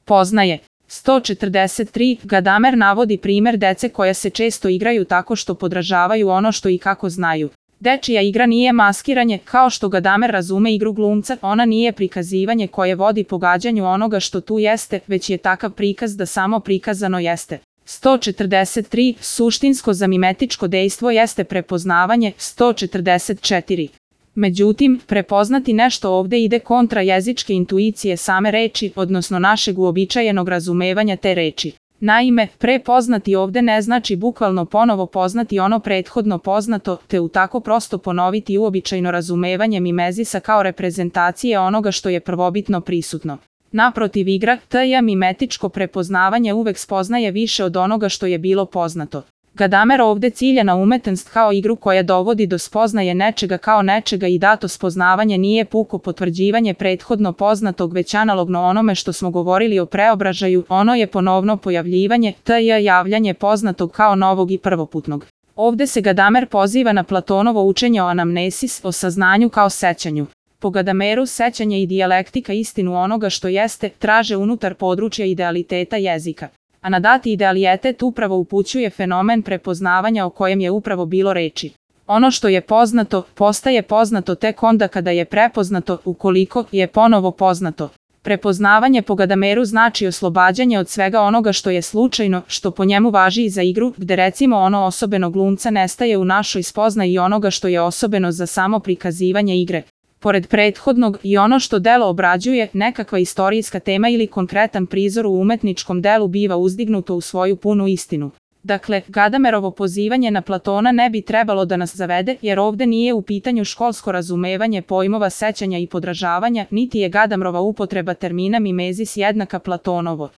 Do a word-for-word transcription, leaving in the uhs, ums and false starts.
Poznaje. sto četrdeset tri. Gadamer navodi primer dece koja se često igraju tako što podražavaju ono što i kako znaju. Dečija igra nije maskiranje, kao što Gadamer razume igru glumca, ona nije prikazivanje koje vodi pogađanju onoga što tu jeste, već je takav prikaz da samo prikazano jeste. sto četrdeset tri. Suštinsko zamimetičko dejstvo jeste prepoznavanje. sto četrdeset četiri. Međutim, prepoznati nešto ovde ide kontra jezičke intuicije same reči, odnosno našeg uobičajenog razumevanja te reči. Naime, prepoznati ovde ne znači bukvalno ponovo poznati ono prethodno poznato, te u tako prosto ponoviti uobičajno razumevanje mimezisa kao reprezentacije onoga što je prvobitno prisutno. Naprotiv, igra, tj. mimetičko prepoznavanje uvek spoznaje više od onoga što je bilo poznato. Gadamer ovde cilja na umetnost kao igru koja dovodi do spoznaje nečega kao nečega i dato spoznavanje nije puko potvrđivanje prethodno poznatog već analogno onome što smo govorili o preobražaju, ono je ponovno pojavljivanje, tj. javljanje poznatog kao novog i prvoputnog. Ovde se Gadamer poziva na Platonovo učenje o anamnesis, o saznanju kao sećanju. Po Gadameru sećanje i dijalektika istinu onoga što jeste traže unutar područja idealiteta jezika. A na dati idealitet upravo upućuje fenomen prepoznavanja o kojem je upravo bilo reči. Ono što je poznato, postaje poznato tek onda kada je prepoznato, ukoliko je ponovo poznato. Prepoznavanje po Gadameru znači oslobađanje od svega onoga što je slučajno, što po njemu važi i za igru, gde recimo ono osobeno glumca nestaje u našoj spoznaji onoga što je osobeno za samo prikazivanje igre. Pored prethodnog, i ono što delo obrađuje, nekakva istorijska tema ili konkretan prizor u umetničkom delu biva uzdignuto u svoju punu istinu. Dakle, Gadamerovo pozivanje na Platona ne bi trebalo da nas zavede, jer ovde nije u pitanju školsko razumevanje pojmova sećanja i podražavanja, niti je Gadamerova upotreba termina mimezis jednaka Platonovo.